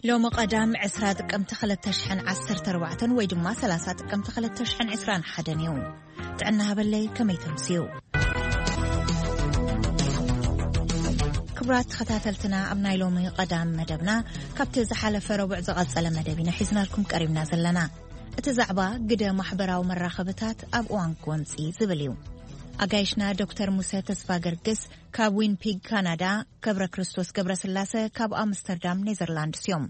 ሎሚ ቀዳም ዕስራ ጥቅምቲ ክልተ ሽሕን ዓሰርተ ኣርባዕተን ወይ ድማ ሰላሳ ጥቅምቲ ክልተ ሽሕን ዕስራን ሓደን እዩ። ጥዕና ሃበለይ፣ ከመይ ተምስዩ? ክቡራት ተኸታተልትና፣ ኣብ ናይ ሎሚ ቀዳም መደብና ካብቲ ዝሓለፈ ረቡዕ ዝቐጸለ መደብ ኢና ሒዝናልኩም ቀሪብና ዘለና። እቲ ዛዕባ ግደ ማሕበራዊ መራኸብታት ኣብ እዋን ጎንጺ ዝብል እዩ። ኣጋይሽና ዶክተር ሙሰ ተስፋ ገርግስ ካብ ዊንፒግ ካናዳ፣ ገብረ ክርስቶስ ገብረ ስላሰ ካብ ኣምስተርዳም ኔዘርላንድስ እዮም።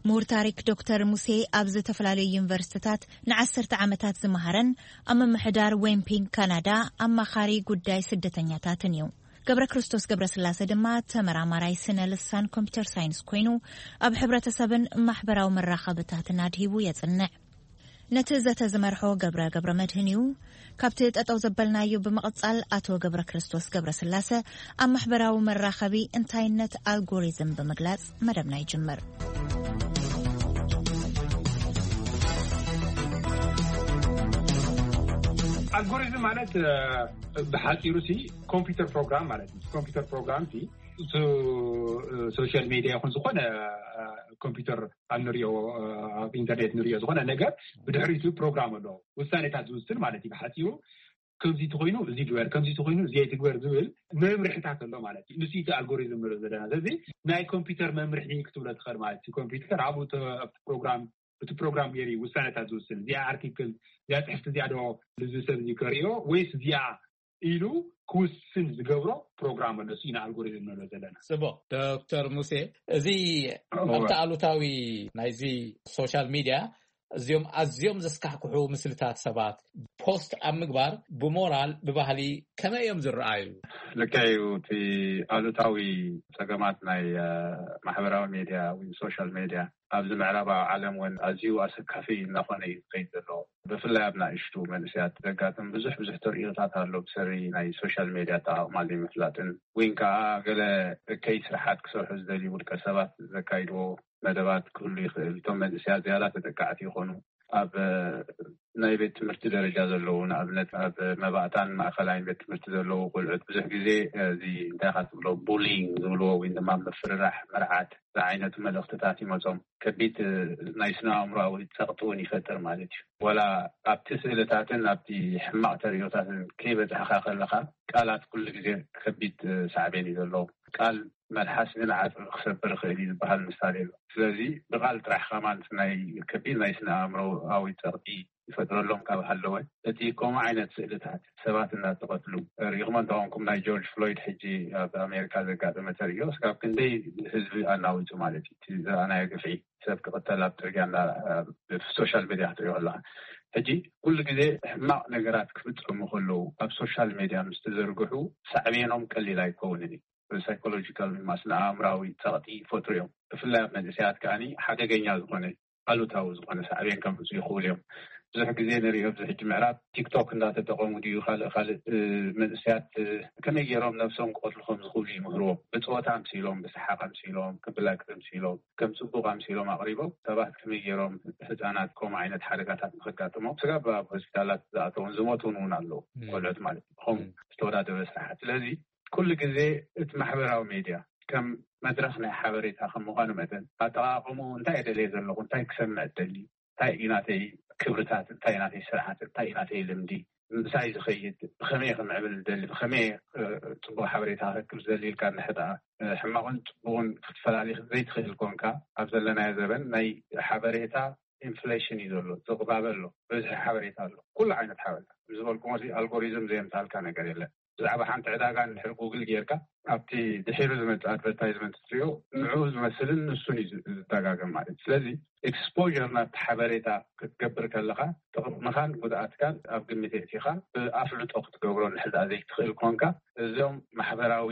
ምሁር ታሪክ ዶክተር ሙሴ ኣብ ዝተፈላለዩ ዩኒቨርሲቲታት ንዓሰርተ ዓመታት ዝመሃረን ኣብ ምምሕዳር ዊንፒግ ካናዳ ኣማኻሪ ጉዳይ ስደተኛታትን እዩ። ገብረ ክርስቶስ ገብረ ስላሰ ድማ ተመራማራይ ስነ ልሳን ኮምፒውተር ሳይንስ ኮይኑ ኣብ ሕብረተሰብን ማሕበራዊ መራኸብታትን ኣድሂቡ የጽንዕ። ነቲ ዘተ ዝመርሖ ገብረ ገብረ መድህን እዩ። ካብቲ ጠጠው ዘበልናዮ ብምቕጻል ኣቶ ገብረ ክርስቶስ ገብረ ስላሰ ኣብ ማሕበራዊ መራኸቢ እንታይነት ኣልጎሪዝም ብምግላጽ መደብና ይጅምር። ኣልጎሪዝም ማለት ብሓፂሩ ሲ ኮምፒውተር ፕሮግራም ማለት እዩ። ኮምፒውተር ፕሮግራም ሲ ሶሻል ሜዲያ ይኹን ዝኾነ ኮምፒውተር ኣብ ንሪኦ ኣብ ኢንተርኔት ንሪኦ ዝኾነ ነገር ብድሕሪቱ ፕሮግራም ኣለዎ። ውሳኔታት ዝውስን ማለት እዩ። ብሓፂሩ ከምዚ ተኮይኑ እዚ ግበር፣ ከምዚ ተኮይኑ እዚ ኣይትግበር ዝብል መምርሕታት ኣሎ ማለት እዩ። ንሱ እቲ ኣልጎሪዝም ንሪኦ ዘለና። ስለዚ ናይ ኮምፒውተር መምርሒ ክትብሎ ትኽእል ማለት እዩ። ኮምፒውተር ኣብኡ ተ- ኣብቲ ፕሮግራም እቲ ፕሮግራም ገይሩ እዩ ውሳነታት ዝውስን። እዚኣ ኣርቲክል፣ እዚኣ ፅሕፍቲ፣ እዚኣ ዶ ልዚ ሰብ እዚ ከርእዮ ወይስ እዚኣ ኢሉ ክውስን ዝገብሮ ፕሮግራም ኣሎ። እሱ ኢና ኣልጎሪዝም ንብሎ ዘለና። ጽቡቕ። ዶክተር ሙሴ፣ እዚ ኣብቲ ኣሉታዊ ናይዚ ሶሻል ሚድያ እዚኦም ኣዝዮም ዘስካሕክሑ ምስልታት ሰባት ፖስት ኣብ ምግባር ብሞራል ብባህሊ ከመይ እዮም ዝረኣዩ? ልክዕ እዩ። እቲ ኣሉታዊ ጸገማት ናይ ማሕበራዊ ሜድያ ወይ ሶሻል ሜድያ ኣብዚ ምዕራባዊ ዓለም እውን ኣዝዩ ኣሰካፊ እናኾነ እዩ ዝኸይድ ዘሎ። ብፍላይ ኣብ ናእሽቱ መንእሰያት ዘጋጥም ብዙሕ ብዙሕ ተርእዮታት ኣሎ። ብሰሪ ናይ ሶሻል ሜድያ ኣጠቓቕማ ዘይምፍላጥን ወይን ከዓ ገለ እከይ ስራሓት ክሰርሑ ዝደልዩ ውልቀ ሰባት ዘካይድዎ መደባት ክህሉ ይኽእል። እቶም መንእሰያት ዝያዳ ተጠቃዕቲ ይኾኑ። ኣብ ናይ ቤት ትምህርቲ ደረጃ ዘለዉ፣ ንኣብነት ኣብ መባእታን ማእኸላይን ቤት ትምህርቲ ዘለዉ ቆልዑት ብዙሕ ግዜ እዚ እንታይ ኢኻ ትብሎ፣ ቡሊንግ ዝብልዎ ወይ ድማ ምፍርራሕ፣ መርዓት ዝዓይነቱ መልእኽትታት ይመጾም። ከቢድ ናይ ስነ ኣእምሮኣዊ ጸቕጢ እውን ይፈጥር ማለት እዩ። ዋላ ኣብቲ ስእልታትን ኣብቲ ሕማቕ ተርእዮታትን ከይበጻሕካ ከለኻ ቃላት ኩሉ ግዜ ከቢድ ሳዕቤን እዩ ዘለዎ። ቃል መልሓስ ግን ዓጽሚ ክሰብር ይኽእል እዩ ዝበሃል ምሳሌ ኣሎ። ስለዚ ብቓል ጥራሕ ከማን ናይ ከቢድ ናይ ስነ ኣእምሮኣዊ ጸቕጢ ይፈጥረሎም ካብ ሃለወ፣ እቲ ከምኡ ዓይነት ስእልታት ሰባት እናተቐትሉ ርኢኹም እንተኾንኩም፣ ናይ ጆርጅ ፍሎይድ ሕጂ ኣብ ኣሜሪካ ዘጋጠመ ተርእዮ እስካብ ክንደይ ህዝቢ ኣናዊጹ ማለት እዩ። እቲ ዝረኣናዮ ግፍዒ፣ ሰብ ክቕተል ኣብ ጽርግያ እና ሶሻል ሜድያ ክትሪኦ ኣለኻ። ሕጂ ኩሉ ግዜ ሕማቕ ነገራት ክፍጸሙ ከለዉ ኣብ ሶሻል ሜድያ ምስ ተዘርግሑ ሳዕቤኖም ቀሊል ኣይከውንን እዩ። ሳይኮሎጂካል ወይ ድማ ስነ ኣእምራዊ ጸቕጢ ይፈጥሩ እዮም። ብፍላይ ኣብ መንእሰያት ከኣኒ ሓደገኛ ዝኾነ ኣሉታዊ ዝኾነ ሳዕቤን ከምፅኡ ይኽእሉ እዮም። ብዙሕ ግዜ ንሪኦ ኣብዚ ሕጂ ምዕራብ ቲክቶክ እንዳተጠቐሙ ድዩ ካልእ ካልእ መንእሰያት ከመይ ገይሮም ነብሶም ክቐትሉ ከም ዝኽእሉ ይምህርዎም። ብፀወታ ኣምሲሎም፣ ብሰሓቕ ኣምሲሎም፣ ከም ብላግፂ ኣምሲሎም፣ ከም ፅቡቕ ኣምሲሎም ኣቕሪቦም ሰባት ከመይ ገይሮም ህፃናት ከምኡ ዓይነት ሓደጋታት ንኸጋጥሞም ስጋብ ኣብ ሆስፒታላት ዝኣተውን ዝሞቱን እውን ኣለዉ። ቆልዑት ማለት እዩ። ከምኡ ዝተወዳደበ ስራሓት። ስለዚ ኩሉ ግዜ እቲ ማሕበራዊ ሜድያ ከም መድረኽ ናይ ሓበሬታ ከም ምዃኑ መጠን ኣጠቓቕምኡ እንታይ እየ ደልየ ዘለኹ፣ እንታይ ክሰምዕ እደሊ፣ እንታይ እዩ ናተይ ክብርታት፣ እንታይ እዩ ናተይ ስርዓት፣ እንታይ እዩ ናተይ ልምዲ፣ ምሳይ ዝኸይድ፣ ብኸመይ ክምዕብል ዝደሊ፣ ብኸመይ ጽቡቕ ሓበሬታ ክረክብ ዝደሊ ኢልካ እንድሕር ደኣ ሕማቕን ጽቡቕን ክትፈላሊ ዘይትኽእል ኮንካ፣ ኣብ ዘለናዮ ዘበን ናይ ሓበሬታ ኢንፍሌሽን እዩ ዘሎ፣ ዝቕባበ ኣሎ፣ በዝሒ ሓበሬታ ኣሎ፣ ኩሉ ዓይነት ሓበሬታ። ዝበልኩሞ ኣልጎሪዝም ዘየምጻልካ ነገር የለን። ብዛዕባ ሓንቲ ዕዳጋ እንድሕር ጉግል ጌርካ ኣብቲ ድሒሩ ዝመጽእ ኣድቨርታይዝመንት ትሪኦ ንዕኡ ዝመስልን ንሱን እዩ ዝደጋገም ማለት እዩ። ስለዚ ኤክስፖር ናብቲ ሓበሬታ ክትገብር ከለኻ ጥቕምኻን ጉድኣትካን ኣብ ግምት የእቲኻ ብኣፍልጦ ክትገብሮ እንድሕር ዘይትኽእል ኮንካ እዞም ማሕበራዊ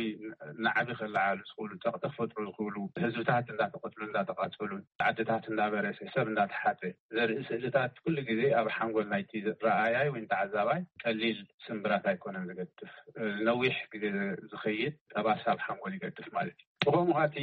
ናዕቢ ከለዓሉ ዝኽእሉ፣ ጸቕጢ ክፈጥሩ ዝኽእሉ፣ ህዝብታት እንዳተቐትሉ እንዳተቓጸሉ፣ ዓድታት እንዳበረሰ፣ ሰብ እንዳተሓተ ዘርኢ ስእልታት ኩሉ ግዜ ኣብ ሓንጎል ናይቲ ረኣያይ ወይ ተዓዛባይ ቀሊል ስምብራት ኣይኮነን ዝገድፍ። ነዊሕ ግዜ ዝኸይድ ጠባሳ ኣብ ሓንጎል ይገድፍ ማለት እዩ። ብኸምኡ እቲ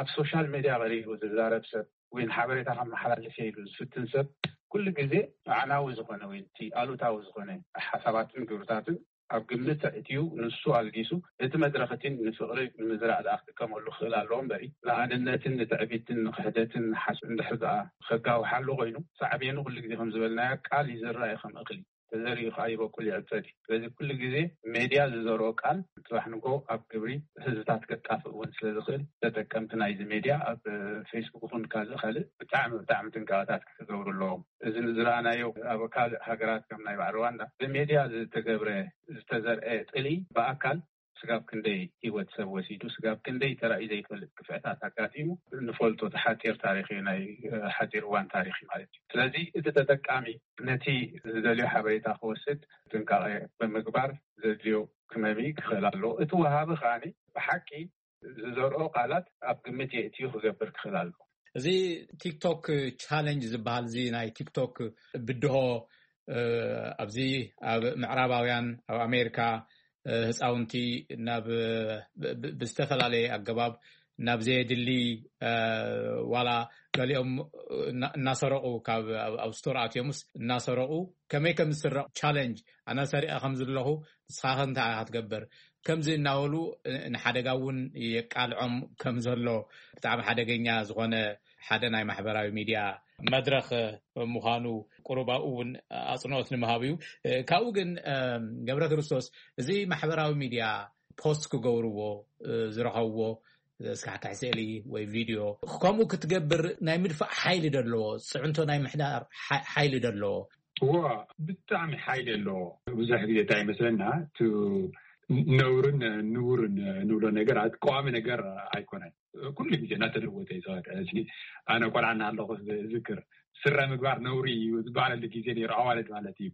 ኣብ ሶሻል ሜድያ ቀሪቡ ዝዛረብ ሰብ ወይ ሓበሬታ ከመሓላልፍ ኢሉ ዝፍትን ሰብ ኩሉ ግዜ ኣዕናዊ ዝኾነ ወይ እቲ ኣሉታዊ ዝኾነ ሓሳባትን ግብርታትን ኣብ ግምት ኣእትዩ፣ ንሱ ኣልጊሱ፣ እቲ መድረኽ እቲ ንፍቕሪ ንምዝራእ ደኣ ክጥቀመሉ ክኽእል ኣለዎ እምበሪ፣ ንኣንነትን ንትዕቢትን ንክሕደትን ንሓስ እንድሕር ደኣ ከጋውሓሉ ኮይኑ፣ ሳዕቤኑ ኩሉ ግዜ ከም ዝበልናዮ ቃል ይዝራእ እዩ ከም እኽሊ። ተዘሪኡ ከዓ ይበቁል ይዕፀድ እዩ። ስለዚ ኩሉ ግዜ ሜድያ ዝዘርኦ ቃል ፅባሕ ንጎ ኣብ ግብሪ ህዝብታት ከጣፍእ እውን ስለ ዝኽእል፣ ተጠቀምቲ ናይዚ ሜድያ ኣብ ፌስቡክ ይኹን ካልእ ካልእ ብጣዕሚ ብጣዕሚ ጥንቃቐታት ክገብሩ ኣለዎም። እዚ ንዝረኣናዮ ኣብ ካልእ ሃገራት ከም ናይ ባዕል ሩዋንዳ ብሜድያ ዝተገብረ ዝተዘርአ ጥልኢ ብኣካል ስጋብ ክንደይ ህይወት ሰብ ወሲዱ፣ ስጋብ ክንደይ ተራእዩ ዘይፈልጥ ክፍዕታት ኣጋጢሙ ንፈልጦ። እቲ ሓፂር ታሪክ እዩ፣ ናይ ሓፂር እዋን ታሪክ እዩ ማለት እዩ። ስለዚ እቲ ተጠቃሚ ነቲ ዝደልዮ ሓበሬታ ክወስድ ጥንቃቐ ብምግባር ዘድልዮ ክመሚ ክኽእል ኣለዎ። እቲ ወሃቢ ከዓኒ ብሓቂ ዝዘርኦ ቃላት ኣብ ግምት የእትዩ ክገብር ክኽእል ኣለዎ። እዚ ቲክቶክ ቻለንጅ ዝበሃል፣ እዚ ናይ ቲክቶክ ብድሆ ኣብዚ ኣብ ምዕራባውያን፣ ኣብ ኣሜሪካ ህፃውንቲ ናብ ብዝተፈላለየ ኣገባብ ናብ ዘየድሊ ዋላ ገሊኦም እናሰረቁ ካብ ኣብ ስቶር ኣትዮምስ እናሰረቁ ከመይ ከም ዝስረቅ ቻለንጅ፣ ኣነ ሰሪቀ ከም ዘለኹ ንስኻ ከ እንታይ ኢኻ ትገብር ከምዚ እናበሉ ንሓደጋ እውን የቃልዖም ከም ዘሎ ብጣዕሚ ሓደገኛ ዝኾነ ሓደ ናይ ማሕበራዊ ሚድያ መድረኽ ምዃኑ ቁሩብ ኣብኡ እውን ኣፅንኦት ንምሃብ እዩ። ካብኡ ግን ገብረ ክርስቶስ እዚ ማሕበራዊ ሚድያ ፖስት ክገብርዎ ዝረኸብዎ ስካሕካሕ ስእሊ ወይ ቪድዮ ከምኡ ክትገብር ናይ ምድፋእ ሓይሊ ደለዎ፣ ፅዕንቶ ናይ ምሕዳር ሓይሊ ደለዎ። እዋ ብጣዕሚ ሓይሊ ኣለዎ። ብዙሕ ግዜ እንታይ ይመስለና ነውርን ንቡርን ንብሎ ነገር ቀዋሚ ነገር ኣይኮነን። ኩሉ ግዜ እናተለወጠ እዩ ዝኸድ። ሕዚ ኣነ ቆልዓ እናሃለኹ ዝዝክር ስረ ምግባር ነውሪ እዩ ዝበሃለሉ ግዜ ነይሩ። ኣዋልድ ማለት እዩ።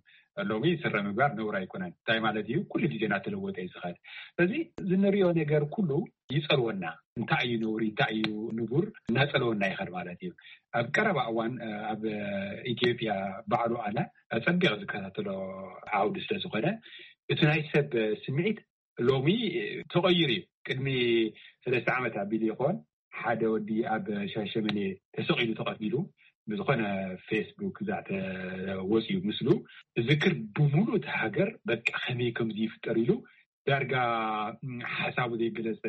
ሎሚ ስረ ምግባር ነውሪ ኣይኮነን። እንታይ ማለት እዩ? ኩሉ ግዜ እናተለወጠ እዩ ዝኸድ። ስለዚ እዚ ንሪኦ ነገር ኩሉ ይፀልወና። እንታይ እዩ ነውሪ፣ እንታይ እዩ ንቡር እናፀልወና ይኸድ ማለት እዩ። ኣብ ቀረባ እዋን ኣብ ኢትዮጵያ ባዕሉ ኣነ ኣፀቢቐ ዝከታተሎ ዓውዲ ስለዝኾነ እቲ ናይ ሰብ ስምዒት ሎሚ ተቐይሩ እዩ። ቅድሚ ሰለስተ ዓመት ኣቢሉ ይኾን ሓደ ወዲ ኣብ ሻሸመኔ ተሰቒሉ ተቐቲሉ ብዝኾነ ፌስቡክ ዛዕተ ወፅዩ ምስሉ ዝክር ብምሉእ እቲ ሃገር በቃ ከመይ ከምዚ ይፍጠር ኢሉ ዳርጋ ሓሳቡ ዘይገለፀ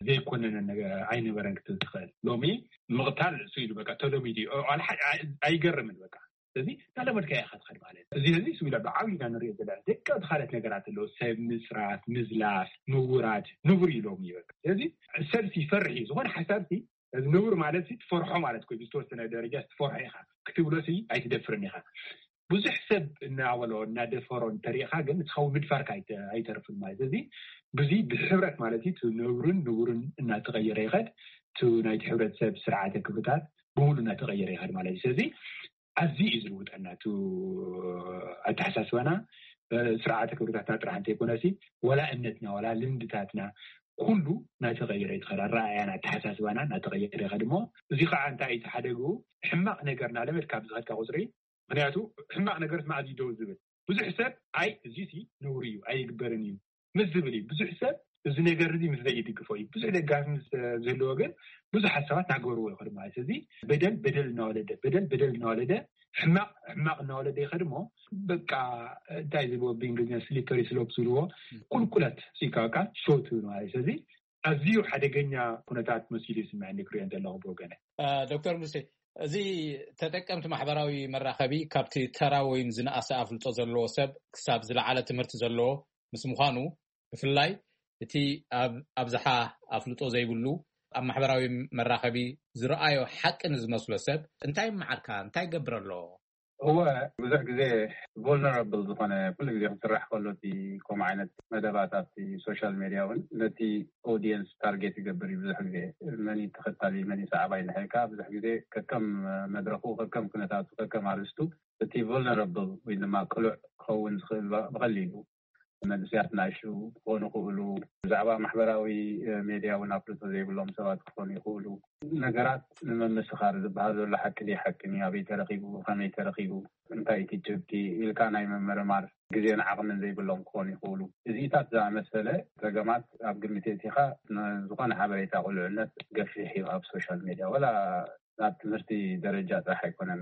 ዘይኮነነ ኣይነበረን ክትብል ትኽእል። ሎሚ ምቕታል እሱ ኢሉ በቃ ተለሚዱ እዩ። ኣይገርምን በቃ እዚ እናለመድካ ኢኻ ትኸድ ማለት እዚ ህዚ ስዊላ ብዓብይና ንሪኦ ዘለና ደቂ እቲ ካልኦት ነገራት ኣለዉ ሰብ ምፅራፍ ምዝላፍ ምውራድ ንቡር እዩ ሎሚ እዩ በቃ ስለዚ ሰብ ይፈርሕ እዩ ዝኾነ ሓሳብ እዚ ንቡር ማለት ትፈርሖ ማለት ኮ ዝተወሰነ ደረጃ ትፈርሖ ኢኻ ክትብሎ ኣይትደፍርን ኢኻ ብዙሕ ሰብ እናበሎ እናደፈሮ እንተሪእኻ ግን ንስኻ ምድፋርካ ኣይተርፍን ማለት እዚ ብዙ ብሕብረት ማለት እዩ ነብርን ንቡርን እናተቀየረ ይኸድ እቲ ናይቲ ሕብረተሰብ ስርዓተ ክብርታት ብሙሉ እናተቀየረ ይኸድ ማለት እዩ ስለዚ ኣዝዩ እዩ ዝልውጠና እቲ ኣተሓሳስባና ስርዓተ ክብርታትና ጥራሕ እንተይኮነሲ ወላ እምነትና ወላ ልምድታትና ኩሉ እናተቀየረ ይኸድ ኣረኣእያና ኣተሓሳስባና እናተቀየረ ይኸድ እሞ እዚ ከዓ እንታይ እዩ ተሓደግኡ ሕማቅ ነገር እናለመድካ ብዝኸድካ ቁፅሪ ምክንያቱ ሕማቅ ነገር መዓዝ እዩ ደው ዝብል ብዙሕ ሰብ ኣይ እዚሲ ነውሪ እዩ ኣይግበርን እዩ ምስ ዝብል እዩ ብዙሕ ሰብ እዚ ነገር እዚ ምስ ዘይድግፎ እዩ ብዙሕ ደጋፊ ምስ ዝህልዎ ግን ብዙሓት ሰባት ናገርዎ ይኸዱ ማለት እዚ በደል በደል እናወለደ በደል በደል እናወለደ ሕማቅ ሕማቅ እናወለደ ይኸድ እሞ በቃ እንታይ ዝብዎ ብእንግሊዝኛ ስሊፐሪ ስሎፕ ዝብልዎ ቁልቁለት ሲካ በቃ ሾት ማለት እዚ ኣዝዩ ሓደገኛ ኩነታት መሲሉ ይስምዐኒ ክሪኦ ዘለኹ ብወገነ ዶክተር ሙሴ እዚ ተጠቀምቲ ማሕበራዊ መራኸቢ ካብቲ ተራ ወይም ዝነኣሰ ኣፍልጦ ዘለዎ ሰብ ክሳብ ዝለዓለ ትምህርቲ ዘለዎ ምስ ምዃኑ ብፍላይ እቲ ኣብ ኣብዝሓ ኣፍልጦ ዘይብሉ ኣብ ማሕበራዊ መራኸቢ ዝረኣዮ ሓቂ ንዝመስሎ ሰብ እንታይ ይመዓርካ እንታይ ይገብር ኣሎ? እወ ብዙሕ ግዜ vulnerable ዝኾነ ኩሉ ግዜ ክስራሕ ከሎ እቲ ከምኡ ዓይነት መደባት ኣብቲ social media እውን ነቲ audience target ይገብር እዩ ብዙሕ ግዜ መን እዩ ተኸታሊ መን እዩ ሰዓባይ እንድሕር ኢልካ ብዙሕ ግዜ ከከም መድረኹ ከከም ኩነታቱ ከከም ኣርእስቱ እቲ vulnerable ወይ ድማ ቅሉዕ ክኸውን ዝኽእል ብቐሊሉ መንእሰያት ናእሽቱ ክኾኑ ይኽእሉ፣ ብዛዕባ ማሕበራዊ ሜድያ እውን ኣፍልጦ ዘይብሎም ሰባት ክኾኑ ይኽእሉ። ነገራት ንምምስኻር ዝበሃል ዘሎ ሓቂ ድዩ ሓቂ ድዩ፣ ኣበይ ተረኺቡ፣ ከመይ ተረኺቡ፣ እንታይ እቲ ጭብጢ ኢልካ ናይ ምምርማር ግዜን ዓቕምን ዘይብሎም ክኾኑ ይኽእሉ። እዚኢታት ዝኣመሰለ ጸገማት ኣብ ግምት የእቲኻ ንዝኾነ ሓበሬታ ቅሉዕነት ገፊሕ እዩ ኣብ ሶሻል ሜድያ ወላ ናብ ትምህርቲ ደረጃ ጥራሕ ኣይኮነን።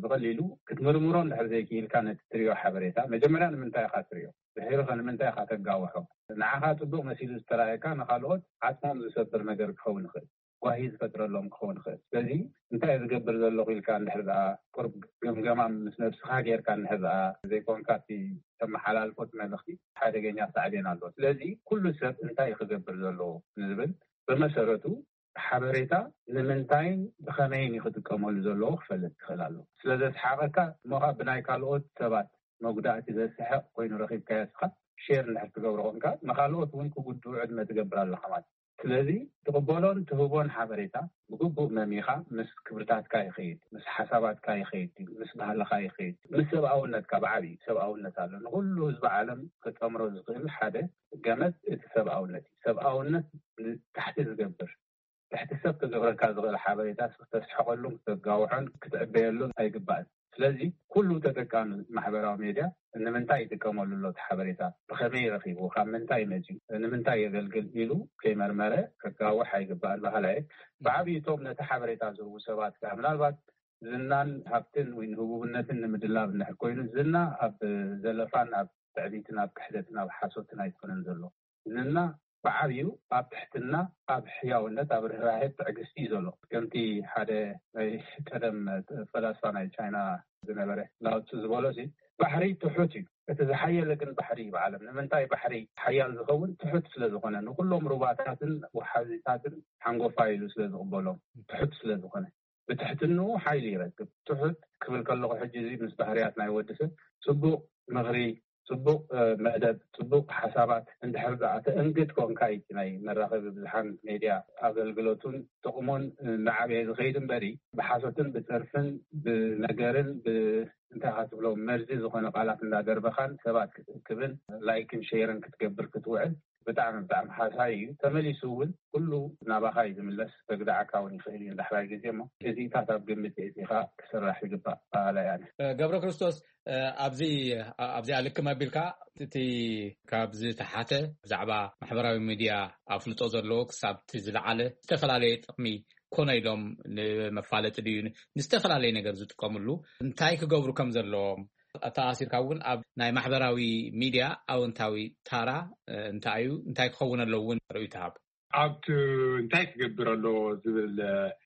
ብቐሊሉ ክትምርምሮ እንድሕር ዘይክኢልካ ነቲ ትሪኦ ሓበሬታ መጀመርያ ንምንታይ ኢኻ ትሪኦ? ድሕሪ ከ ንምንታይ ኢኻ ተጋውሖ? ንዓኻ ጽቡቕ መሲሉ ዝተራእየካ ንኻልኦት ዓጽሞም ዝሰብር ነገር ክኸውን ይኽእል፣ ጓሂ ዝፈጥረሎም ክኸውን ይኽእል። ስለዚ እንታይ ዝገብር ዘለኹ ኢልካ እንድሕር ደኣ ቁርብ ግምገማ ምስ ነብስኻ ጌርካ እንድሕር ደኣ ዘይኮንካ እቲ ተመሓላልፎ እቲ መልእኽቲ ሓደገኛ ሳዕቤን ኣሎ። ስለዚ ኩሉ ሰብ እንታይ እዩ ክገብር ዘለዎ ንዝብል ብመሰረቱ ሓበሬታ ንምንታይን ብኸመይን እዩ ክጥቀመሉ ዘለዎ ክፈልጥ ክኽእል ኣለዎ። ስለ ዘስሓቐካ እሞ ኸዓ ብናይ ካልኦት ሰባት መጉዳእቲ ዘስሕቕ ኮይኑ ረኺብካዮ እስኻ ሼር እንድሕር ትገብሮ ኮንካ ንኻልኦት እውን ክጉድኡ ዕድመ ትገብር ኣለኻ ማለት እዩ። ስለዚ ትቕበሎን ትህቦን ሓበሬታ ብግቡእ መሚኻ ምስ ክብርታትካ ይኸይድ፣ ምስ ሓሳባትካ ይኸይድ፣ ምስ ባህልኻ ይኸይድ፣ ምስ ሰብኣውነትካ ብዓብዩ ሰብኣውነት ኣሎ። ንኹሉ ህዝቢ ዓለም ክጠምሮ ዝኽእል ሓደ ገመድ እቲ ሰብኣውነት እዩ። ሰብኣውነት ንታሕቲ ዝገብር ትሕቲ ሰብ ክገብረካ ዝኽእል ሓበሬታ ክተስሕቐሉን ክተጋውሖን ክትዕበየሉን ኣይግባእን። ስለዚ ኩሉ ተጠቃሚ ማሕበራዊ ሜድያ ንምንታይ ይጥቀመሉ ኣሎ እቲ ሓበሬታ፣ ብኸመይ ረኺቡ፣ ካብ ምንታይ መፂኡ፣ ንምንታይ የገልግል ኢሉ ከይመርመረ ከጋውሕ ኣይግባእን በሃላይ። ብዓብይቶም ነቲ ሓበሬታ ዝህቡ ሰባት ከዓ ምናልባት ዝናን ሃብትን ወይ ንህቡብነትን ንምድላብ እንድሕር ኮይኑ ዝና ኣብ ዘለፋን ኣብ ትዕቢትን ኣብ ክሕደትን ኣብ ሓሶትን ኣይኮነን ዘሎ። ዝና ብዓብዩ ኣብ ትሕትና ኣብ ሕያውነት ኣብ ርህራሄ ትዕግስቲ እዩ ዘሎ። ከምቲ ሓደ ናይ ቀደም ፈላስፋ ናይ ቻይና ዝነበረ ላውትሱ ዝበሎ ሲ ባሕሪ ትሑት እዩ፣ እቲ ዝሓየለ ግን ባሕሪ እዩ ብዓለም። ንምንታይ ባሕሪ ሓያል ዝኸውን? ትሑት ስለ ዝኾነ፣ ንኩሎም ሩባታትን ወሓዚታትን ሓንጎፋ ኢሉ ስለ ዝቕበሎም፣ ትሑት ስለ ዝኾነ። ብትሕትንኡ ሓይሊ ይረክብ። ትሑት ክብል ከለኹ ሕጂ እዚ ምስ ባህርያት ናይ ወዲ ሰብ ጽቡቕ ምኽሪ፣ ጽቡቕ መደብ፣ ጽቡቕ ሓሳባት እንድሕር ደኣ ተእንግድ ኮንካ እዩ ናይ መራኸቢ ብዙሓን ሜድያ ኣገልግሎቱን ጥቕሙን እናዓበየ ዝኸይድ እምበሪ ብሓሶትን ብጸርፍን ብነገርን እንታይ ካ ትብሎ መርዚ ዝኾነ ቃላት እንዳደርበኻን ሰባት ክትእክብን ላይክን ሼርን ክትገብር ክትውዕል ብጣዕሚ ብጣዕሚ ሓሳይ እዩ። ተመሊሱ እውን ኩሉ ናባኻ እዩ ዝምለስ። ከግድዓካ እውን ይኽእል እዩ ንዳሕራይ ግዜ እሞ እዚታት ኣብ ግምት የእቲኻ ክስራሕ ይግባእ በሃላይ ኣነ። ገብረ ክርስቶስ፣ ኣብዚ ኣብዚኣ ልክም ኣቢልካ እቲ ካብ ዝተሓተ ብዛዕባ ማሕበራዊ ሚድያ ኣፍልጦ ዘለዎ ክሳብ እቲ ዝለዓለ ዝተፈላለየ ጥቕሚ ኮነ ኢሎም ንመፋለጢ ድዩ ንዝተፈላለየ ነገር ዝጥቀምሉ እንታይ ክገብሩ ከም ዘለዎም ኣተኣሲርካ እውን ኣብ ናይ ማሕበራዊ ሚድያ ኣወንታዊ ታራ እንታይ እዩ እንታይ ክኸውን ኣለዎ እውን ርእዩ ትሃብ። ኣብቲ እንታይ ክገብር ኣሎ ዝብል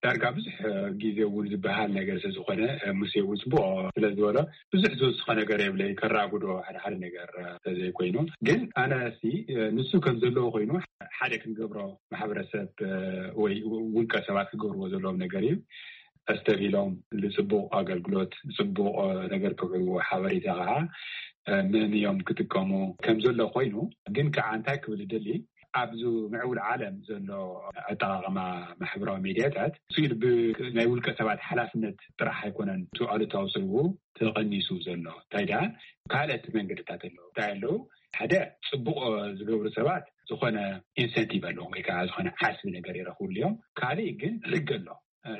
ዳርጋ ብዙሕ ግዜ እውን ዝበሃል ነገር ስለዝኾነ ሙሴ እውን ፅቡቅ ስለዝበሎ ብዙሕ ዝወስኾ ነገር የብለይ ከራጉዶ ሓደ ሓደ ነገር ተዘይኮይኑ ግን ኣነ ንሱ ከም ዘለዎ ኮይኑ ሓደ ክንገብሮ ማሕበረሰብ ወይ ውልቀ ሰባት ክገብርዎ ዘለዎም ነገር እዩ። ኣስተብሂሎም ንፅቡቕ ኣገልግሎት ፅቡቕ ነገር ክውዕልዎ ሓበሬታ ከዓ መን እዮም ክጥቀሙ ከም ዘሎ ኮይኑ ግን ከዓ እንታይ ክብል ደሊ ኣብዚ ምዕቡል ዓለም ዘሎ ኣጠቃቀማ ማሕበራዊ ሜድያታት ስኢል ናይ ውልቀ ሰባት ሓላፍነት ጥራሕ ኣይኮነን እቲ ኣሉታዊ ስልቡ ተቐኒሱ ዘሎ እንታይ ደኣ ካልኦት መንገድታት ኣለዉ እንታይ ኣለዉ ሓደ ፅቡቅ ዝገብሩ ሰባት ዝኾነ ኢንሰንቲቭ ኣለዎም ወይ ከዓ ዝኾነ ዓስቢ ነገር ይረኽብሉ እዮም። ካሊእ ግን ሕጊ ኣሎ።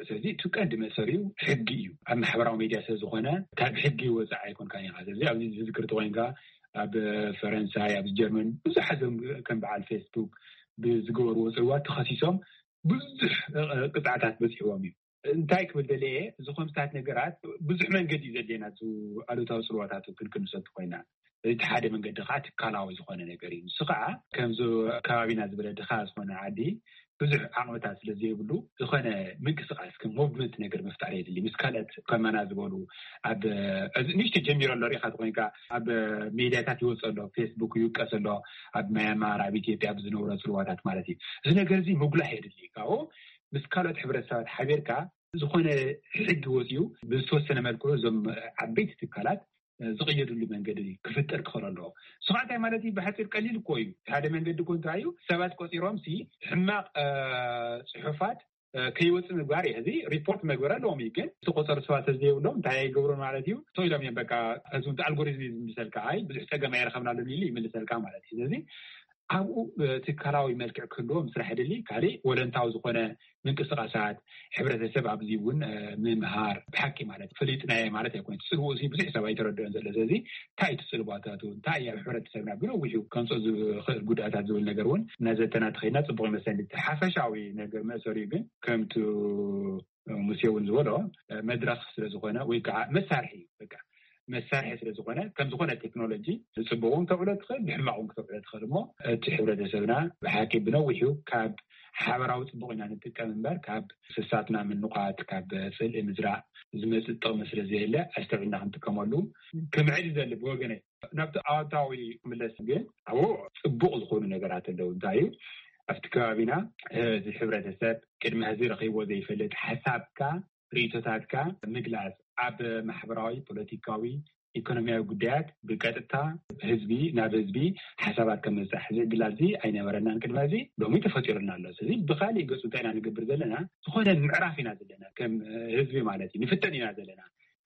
ስለዚ እቲ ቀንዲ መእሰሪኡ ሕጊ እዩ። ኣብ ማሕበራዊ ሚድያ ስለ ዝኾነ ካብ ሕጊ ወፃኢ ኣይኮንካን ኢኻ። ስለዚ ኣብዚ ዝዝክር ተኮይንካ ኣብ ፈረንሳይ ኣብ ጀርመን ብዙሓት ዞም ከም በዓል ፌስቡክ ብዝገበርዎ ፅልዋት ተኸሲሶም ብዙሕ ቅፅዓታት በፂሕዎም እዩ። እንታይ ክብል ደለየ እዚ ከምስታት ነገራት ብዙሕ መንገዲ እዩ ዘድልየና እዚ ኣሉታዊ ፅልዋታቱ ክንክንሰቱ ኮይና እቲ ሓደ መንገዲ ከዓ ትካላዊ ዝኾነ ነገር እዩ። ንሱ ከዓ ከምዚ ከባቢና ዝበለ ድኻ ዝኾነ ዓዲ ብዙሕ ዓቕምታት ስለ ዘይብሉ ዝኾነ ምንቅስቃስ ከም ሞቭመንት ነገር ምፍጣር የድሊ ምስ ካልኦት ከማና ዝበሉ ኣብ እዚ ንሽተ ጀሚሮ ኣሎ ሪኢኻ ተኮይንካ ኣብ ሜድያታት ይወፅ ኣሎ ፌስቡክ ይውቀስ ኣሎ ኣብ ማያማር ኣብ ኢትዮጵያ ብዝነብሮ ፅልዋታት ማለት እዩ። እዚ ነገር እዚ ምጉላሕ የድሊ ካብኡ ምስ ካልኦት ሕብረተሰባት ሓቢርካ ዝኾነ ሕጊ ወፅኡ ብዝተወሰነ መልክዑ እዞም ዓበይቲ ትካላት ዝቕየድሉ መንገዲ ክፍጠር ክኽእል ኣለዎ። ስኻ እንታይ ማለት እዩ ብሓፂር ቀሊል እኮ እዩ ሓደ መንገዲ እኮ እንታይ እዩ ሰባት ቆፂሮም ሲ ሕማቕ ፅሑፋት ከይወፅእ ምግባር እዩ ሕዚ ሪፖርት መግበር ኣለዎም እዩ ግን ዝተቆፀሩ ሰባት ተዝየብሎም እንታይ ኣይገብሩን ማለት እዩ ሰው ኢሎም እዮም በቃ ህዝቡ ኣልጎሪዝም እዩ ዝምልሰልካ ኣይ ብዙሕ ፀገም ኣይረኸብናሉን ኢሉ ይምልሰልካ ማለት እዩ ስለዚ ኣብኡ ትካላዊ መልክዕ ክህልዎ ምስራሕ ድሊ ካሊእ ወለንታዊ ዝኾነ ምንቅስቃሳት ሕብረተሰብ ኣብዚ እውን ምምሃር ብሓቂ ማለት ፈሊጥናየ ማለት ኣይኮነ ትፅልዎ እዚ ብዙሕ ሰብ ኣይተረድኦን ዘሎ ስለዚ እንታይ ትፅልባታቱ እንታይ ኣብ ሕብረተሰብና ብነዊሑ ከምፆ ዝኽእል ጉዳእታት ዝብል ነገር እውን እናዘተና ተኸይድና ፅቡቅ ይመስለኒ ሓፈሻዊ ነገር መእሰሪኡ ግን ከምቲ ሙሴ እውን ዝበሎ መድረክ ስለዝኾነ ወይ ከዓ መሳርሒ በቃ መሳርሒ ስለ ዝኾነ፣ ከም ዝኾነ ቴክኖሎጂ ብጽቡቕ እውን ክተውዕሎ ትኽእል፣ ብሕማቕ እውን ክተውዕሎ ትኽእል። እሞ እቲ ሕብረተሰብና ብሓቂ ብነዊሑ ካብ ሓበራዊ ጽቡቕ ኢና ንጥቀም እምበር፣ ካብ ፍሳትና ምንቋት፣ ካብ ጽልኢ ምዝራእ ዝመጽእ ጥቕሚ ስለ ዘየለ፣ ኣስተውዒልና ክንጥቀመሉ ክምዕድ ይደሊ ብወገነይ። ናብቲ ኣወንታዊ ክምለስ ግን፣ ኣብኡ ጽቡቕ ዝኾኑ ነገራት ኣለዉ። እንታይ እዩ? ኣብቲ ከባቢና፣ እዚ ሕብረተሰብ ቅድሚ ሕዚ ረኺብዎ ዘይፈልጥ ሓሳብካ፣ ርእይቶታትካ ምግላጽ፣ ኣብ ማሕበራዊ፣ ፖለቲካዊ፣ ኢኮኖሚያዊ ጉዳያት ብቀጥታ ህዝቢ ናብ ህዝቢ ሓሳባት ከም ምብጻሕ እዚ ዕድላት እዚ ኣይነበረናን ቅድሚ ሕዚ። ሎሚ ተፈጢሩና ኣሎ። ስለዚ ብኻሊእ ገጹ እንታይ ኢና ንገብር ዘለና? ዝኾነ ምዕራፍ ኢና ዘለና፣ ከም ህዝቢ ማለት እዩ። ንፍተን ኢና ዘለና።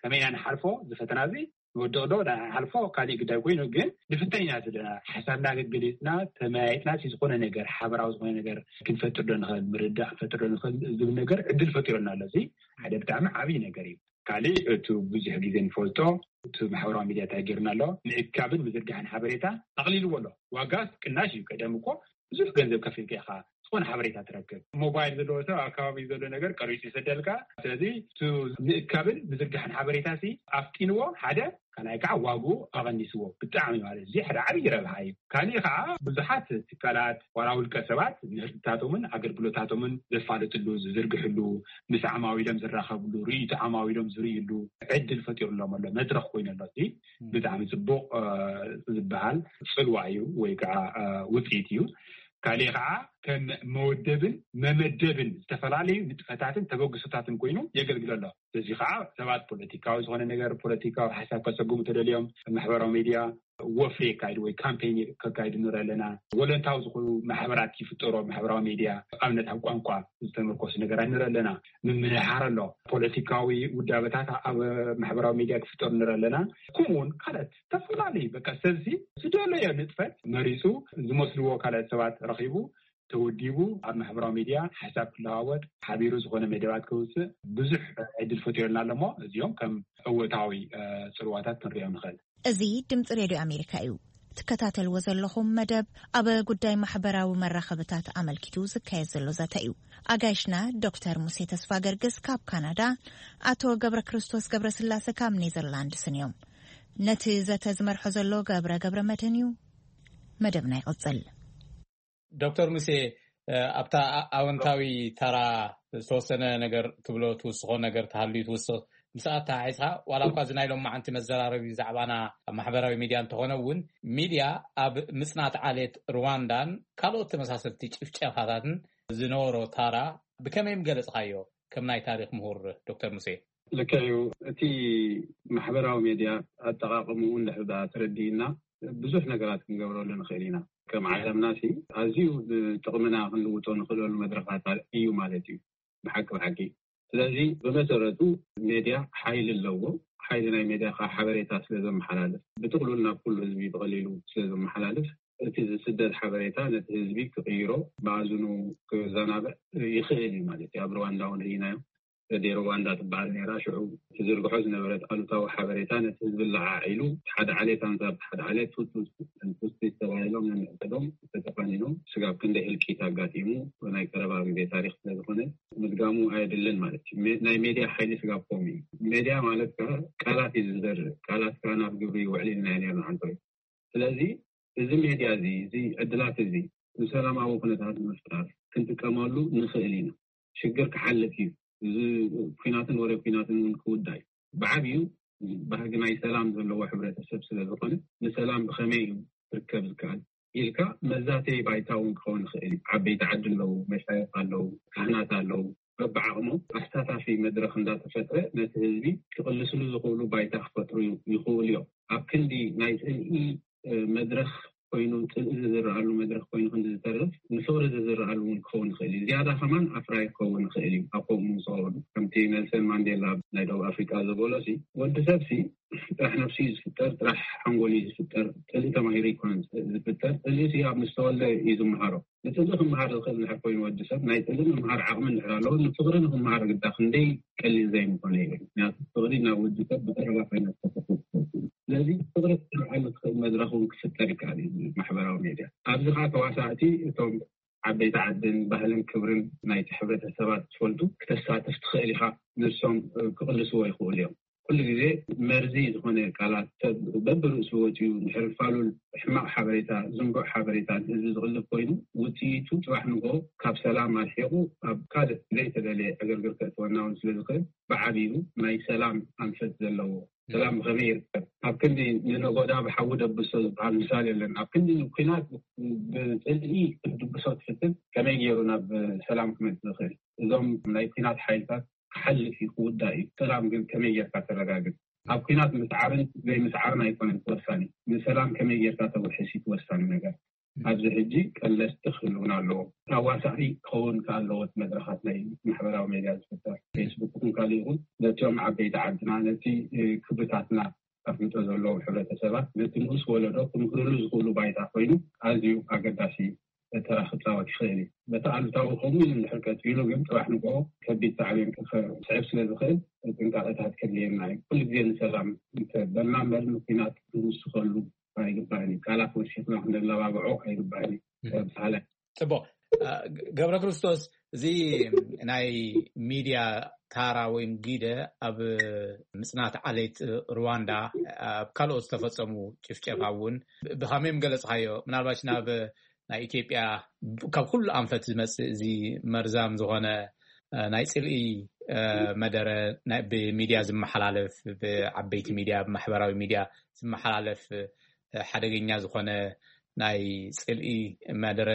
ከመይ ኢና ንሓልፎ እዚ ፈተና እዚ? ንወድቕ ዶ ንሓልፎ፣ ካሊእ ግዳይ ኮይኑ፣ ግን ንፍተን ኢና ዘለና። ሓሳብና ገሊጽና፣ ተመያይጥና፣ እቲ ዝኾነ ነገር፣ ሓበራዊ ዝኾነ ነገር ክንፈጥር ዶ ንኽእል፣ ምርዳእ ክንፈጥር ዶ ንኽእል ዝብል ነገር ዕድል ፈጢሩና ኣሎ። እዚ ሓደ ብጣዕሚ ዓብዪ ነገር እዩ። ካሊእ፣ እቲ ብዙሕ ግዜ ንፈልጦ፣ እቲ ማሕበራዊ ሚድያ እንታይ ገይሩና ኣሎ? ምእካብን ምዝርጋሕን ሓበሬታ ኣቕሊልዎ ኣሎ። ዋጋ ቅናሽ እዩ። ቀደም እኮ ብዙሕ ገንዘብ ከፊልካ ኢኻ ዝኾነ ሓበሬታ ትረክብ። ሞባይል ዘለዎ ሰብ ኣብ ከባቢ ዘሎ ነገር ቀሪጹ ይሰደልካ። ስለዚ እቲ ምእካብን ምዝርጋሕን ሓበሬታ ሲ ኣፍጢንዎ፣ ሓደ፣ ካልኣይ ከዓ ዋግኡ ኣቐኒስዎ ብጣዕሚ። ማለት እዚ ሓደ ዓብዪ ረብሓ እዩ። ካሊእ ከዓ ብዙሓት ትካላት ዋላ ውልቀ ሰባት ምህርትታቶምን ኣገልግሎታቶምን ዘፋልጥሉ፣ ዝዝርግሕሉ፣ ምስ ዓማዊሎም ዝራኸብሉ፣ ርእይቶ ዓማዊሎም ዝርእይሉ ዕድል ፈጢሩሎም ኣሎ፣ መድረኽ ኮይኑ ኣሎ። እዚ ብጣዕሚ ጽቡቕ፣ እ፣ ዝበሃል ጽልዋ እዩ ወይ ከዓ፣ እ፣ ውጽኢት እዩ። ካሊእ ከዓ ከም መወደብን መመደብን ዝተፈላለዩ ንጥፈታትን ተበግሶታትን ኮይኑ የገልግል ኣሎ። እዚ ከዓ ሰባት ፖለቲካዊ ዝኾነ ነገር፣ ፖለቲካዊ ሓሳብ ከሰጉሙ ተደልዮም፣ ማሕበራዊ ሚድያ ወፍሪ የካይዱ ወይ ካምፔን ከካይዱ ንርኢ ኣለና። ወለንታዊ ዝኾኑ ማሕበራት ይፍጠሩ ኣብ ማሕበራዊ ሚድያ፣ ኣብነት ኣብ ቋንቋ ዝተመርኮሱ ነገራት ንርኢ ኣለና። ምምርሓር ኣሎ። ፖለቲካዊ ውዳበታት ኣብ ማሕበራዊ ሚድያ ክፍጠሩ ንርኢ ኣለና። ከምኡ እውን ካልኦት ዝተፈላለዩ፣ በቃ፣ ሰብሲ ዝደለዮ ንጥፈት መሪጹ፣ ዝመስልዎ ካልኦት ሰባት ረኺቡ፣ ተወዲቡ፣ ኣብ ማሕበራዊ ሚድያ ሓሳብ ክለዋወጥ፣ ሓቢሩ ዝኾነ መደባት ከውፅእ ብዙሕ ዕድል ፈጢሩልና ኣሎ። እሞ እዚኦም ከም እወታዊ፣ እ፣ ፅልዋታት ክንሪኦም ንኽእል። እዚ ድምፂ ሬድዮ ኣሜሪካ እዩ። ትከታተልዎ ዘለኹም መደብ ኣብ ጉዳይ ማሕበራዊ መራኸብታት ኣመልኪቱ ዝካየድ ዘሎ ዘተ እዩ። ኣጋይሽና ዶክተር ሙሴ ተስፋ ገርግስ ካብ ካናዳ፣ ኣቶ ገብረ ክርስቶስ ገብረ ስላሴ ካብ ኔዘርላንድስን እዮም። ነቲ ዘተ ዝመርሖ ዘሎ ገብረ ገብረ መድህን እዩ። መደብና ይቕጽል። ዶክተር ሙሴ፣ እ፣ ኣብታ ኣ-፣ ኣወንታዊ ተራ ዝተወሰነ ነገር ትብሎ፣ ትውስኾ ነገር ተሃልዩ ትውስኽ። ምስኣ ተሓሒዝካ፣ ዋላ እኳ እዚ ናይ ሎማዓንቲ መዘራረቢ ዛዕባና ኣብ ማሕበራዊ ሚድያ እንተኾነ እውን፣ ሚድያ ኣብ ምጽናት ዓሌት ሩዋንዳን ካልኦት ተመሳሰልቲ ጭፍጨፋታትን ዝነበሮ ታራ ብከመይ ምገለጽካዮ፣ ከም ናይ ታሪኽ ምሁር ዶክተር ሙሴ? ልክዕ እዩ። እቲ ማሕበራዊ ሜድያ ኣጠቓቕምኡ እንድሕር ደኣ ተረዲእና፣ ብዙሕ ነገራት ክንገብረሉ ንኽእል ኢና። ከም ዓለምና ሲ ኣዝዩ ንጥቕምና ክንልውጦ ንኽእለሉ መድረኻት እዩ ማለት እዩ። ብሓቂ ብሓቂ። ስለዚ ብመሰረቱ ሜድያ ሓይሊ ኣለዎ። ሓይሊ ናይ ሜድያ ከዓ ሓበሬታ ስለ ዘመሓላልፍ፣ ብጥቕሉል ናብ ኩሉ ህዝቢ ብቐሊሉ ስለ ዘመሓላልፍ፣ እቲ ዝስደድ ሓበሬታ ነቲ ህዝቢ ክቕይሮ፣ መኣዝኑ ክዘናብዕ ይኽእል እዩ ማለት እዩ። ኣብ ሩዋንዳ እውን ርኢናዮ። ሬድዮ ሩዋንዳ ትበሃል ነይራ። ሽዑ ትዝርግሖ ዝነበረት ኣሉታዊ ሓበሬታ ነቲ ህዝቢ ለዓዒሉ፣ ሓደ ዓሌት ኣንጻር ሓደ ዓሌት፣ ቱትሲ ተባሂሎም ነንሕድሕዶም ተተፋኒኖም፣ ስጋብ ክንደይ ህልቂት ኣጋጢሙ ናይ ቀረባ ግዜ ታሪኽ ስለ ዝኾነ ምድጋሙ ኣየድልን ማለት እዩ። ሜ-፣ ናይ ሜድያ ሓይሊ ስጋብ ከምኡ እዩ። ሜድያ ማለት ከ ቃላት እዩ ዝዘርእ፣ ቃላት ከ ናብ ግብሪ ይውዕል ኢልና ኢና ነርና ዓንተወይ። ስለዚ እዚ ሜድያ እዚ፣ እዚ ዕድላት እዚ ንሰላማዊ ኩነታት ንምፍጣር ክንጥቀመሉ ንኽእል ኢና። ሽግር ክሓልፍ እዩ። እዚ ኲናትን ወረ ኲናትን እውን ክውዳእ እዩ። ብዓብዩ ባህጊ ናይ ሰላም ዘለዎ ሕብረተሰብ ስለ ዝኾነ፣ ንሰላም ብኸመይ እዩ ክርከብ ዝከኣል ኢልካ መዛተዪ ባይታ እውን ክኸውን ይኽእል እዩ። ዓበይቲ ዓዲ ኣለዉ፣ መሻይኽ ኣለዉ፣ ካህናት ኣለዉ። በብዓቕሞም ኣሳታፊ መድረኽ እንዳተፈጥረ ነቲ ህዝቢ ክቕልስሉ ዝኽእሉ ባይታ ክፈጥሩ ይኽእሉ እዮም። ኣብ ክንዲ ናይ ጽልኢ፣ እ፣ መድረኽ ኮይኑ፣ ጽልኢ ዝዝረኣሉ መድረኽ ኮይኑ ክንዲ ዝተርፍ፣ ንፍቕሪ ዝዝረኣሉ እውን ክኸውን ይኽእል እዩ። ዝያዳ ከማን ኣፍራይ ክኸውን ይኽእል እዩ። ኣብ ከምኡ ምስ ኸበዱ፣ ከምቲ ኔልሰን ማንዴላ ናይ ደቡብ ኣፍሪቃ ዝበሎ ሲ፣ ወዲ ሰብ ሲ ጥራሕ ነፍሱ እዩ ዝፍጠር፣ ጥራሕ ሓንጎል እዩ ዝፍጠር። ጽልኢ ተማሂሩ ኣይኮነን ዝፍጠር። ጽልኢ ሲ ኣብ ምስ ተወልደ እዩ ዝመሃሮ። ንጽልኢ ክመሃር ዝኽእል እንድሕር ኮይኑ ወዲ ሰብ፣ ናይ ጽልኢ ምምሃር ዓቕሚ እንድሕር ኣለዎ፣ ንፍቕሪ ንኽመሃር ግዳ ክንደይ ቀሊል ዘይምኾነ ይብል። ምክንያቱ ፍቕሪ ናብ ወዲ ሰብ ብቐረባ ኮይና ዝተፈጥረት ትፈልጥ እዩ። ስለዚ ፍቕሪ ክትርዓሉ ትኽእል መድረኽ እውን ክፍጠር ይከኣል እዩ ማሕበራዊ ሜድያ። ኣብዚ ከዓ ተዋሳእቲ እቶም ዓበይቲ ዓድን ባህልን ክብርን ናይቲ ሕብረተሰባት ዝፈልጡ ክተሳትፍ ትኽእል ኢኻ። ንሶም፣ እ፣ ክቕልስዎ ይኽእሉ እዮም። ኩሉ ግዜ መርዚ ዝኾነ ቃላት ሰብ በብርእሱ ወፂኡ ድሕሪ ፋሉል ሕማቕ ሓበሬታ፣ ዝንቡዕ ሓበሬታ ንህዝቢ ዝቕልብ ኮይኑ፣ ውፅኢቱ ፅባሕ ንግሆ ካብ ሰላም ኣርሒቑ ኣብ ካልእ ዘይተደለየ ዕግርግር ከእትወና እውን ስለ ዝኽእል፣ ብዓቢኡ ናይ ሰላም ኣንፈት ዘለዎ ሰላም ብኸመይ ይርከብ? ኣብ ክንዲ ንነጎዳ ብሓዊ ደብሶ ዝበሃል ምሳሌ የለን። ኣብ ክንዲ ንኩናት ብፅልኢ ክትድብሶ ትፍትን ከመይ ገይሩ ናብ ሰላም ክመፅእ ዝኽእል? እዞም ናይ ኩናት ሓይልታት ክሓልፍ እዩ፣ ክውዳእ እዩ። ሰላም ግን ከመይ ጌርካ ተረጋግፅ? ኣብ ኩናት ምስዓርን ዘይምስዓርን ኣይኮነን ተወሳኒ፣ ንሰላም ከመይ ጌርካ ተውሕስ እዩ ተወሳኒ ነገር። ኣብዚ ሕጂ ቀለስቲ ክህልውና ኣለዎ። ኣዋሳኢ ክኸውን ከኣለዎ መድረኻት ናይ ማሕበራዊ ሜድያ ዝፍጠር፣ ፌስቡክ ይኹን ካልእ ይኹን፣ ነቲኦም ዓበይቲ ዓድና፣ ነቲ ክብርታትና ኣፍልጦ ዘለዎም ሕብረተሰባት፣ ነቲ ንኡስ ወለዶ ክምህርሉ ዝኽእሉ ባይታ ኮይኑ ኣዝዩ ኣገዳሲ ተራ ክፃወት ይኽእል እዩ። በቲ ኣሉታዊ ከምኡ ኢሉ እንድሕር ቀፂሉ ግን ፅባሕ ንግሆ ከቢድ ሳዕቤን ክስዕብ ስለ ዝኽእል ጥንቃቐታት ከድልየና እዩ። ኩሉ ግዜ ንሰላም እንተበልና እምበር ንኩናት ክንውስኸሉ ኣይግባእን እዩ። ቃላት ወሲኽና ክንለባብዖ ኣይግባእን እዩ። ብሳለ ፅቡቅ። ገብረ ክርስቶስ፣ እዚ ናይ ሚድያ ታራ ወይም ጊደ ኣብ ምፅናት ዓሌት ሩዋንዳ፣ ኣብ ካልኦት ዝተፈፀሙ ጭፍጨፋ እውን ብኸመይ ምገለፅካዮ? ምናልባሽ ናብ ናይ ኢትዮጵያ ካብ ኩሉ ኣንፈት ዝመፅእ እዚ መርዛም ዝኾነ ናይ ፅልኢ መደረ፣ ብሚድያ ዝመሓላለፍ፣ ብዓበይቲ ሚድያ፣ ብማሕበራዊ ሚድያ ዝመሓላለፍ ሓደገኛ ዝኾነ ናይ ፅልኢ መደረ